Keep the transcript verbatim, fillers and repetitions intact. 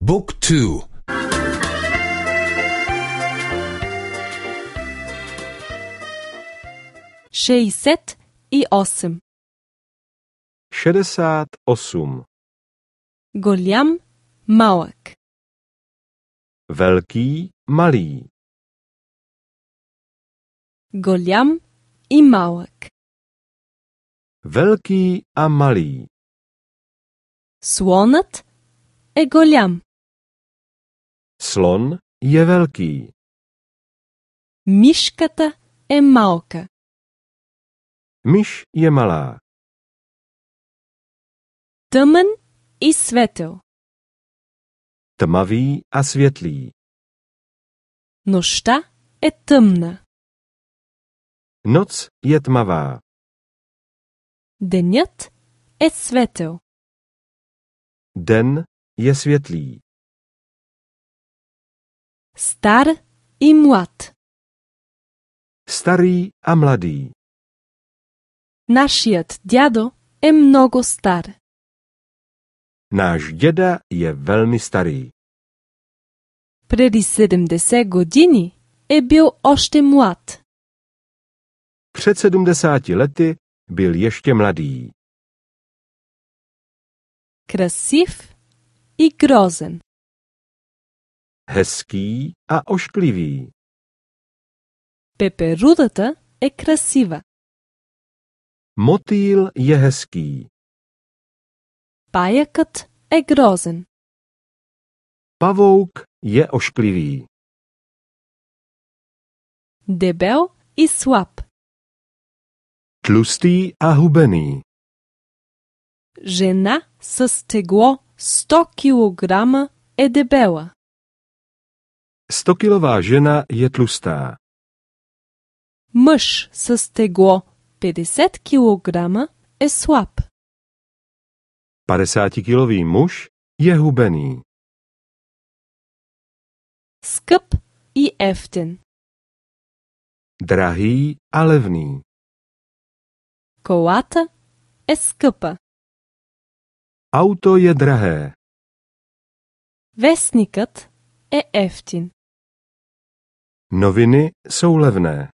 Book two. šezdeset osem. šedesát osm. Голям, малък. Velký, malý. Голям и малък. Velký a malý. Слонът е голям. Slon je velký. Мишката е малка. Myš je malá. Тъмън и светъл. Tmavý a světlý. Нощта е тъмна. Noc je tmavá. Денят е светъл. Den je světlý. Стар и млад. Starý a mladý. Нашият дядо е много стар. Náš děda je velmi starý. Преди седемдесет години е бил още млад. Před sedmdesáti lety byl ještě mladý. Красив и грозен. Hezký a ošklivý. Пеперудата е красива. Motýl je hezký. Паякът е грозен. Pavouk je ošklivý. Дебел и слаб. Tlustý a hubený. Жена с тегло сто килограма е дебела. Stokilová žena je tlustá. Мъж с тегло петдесет килограма е слаб. Padesátikilový muž je hubený. Скъп и ефтен. Drahý a levný. Колата е скъпа. Auto je drahé. Вестникът е ефтин. Noviny jsou levné.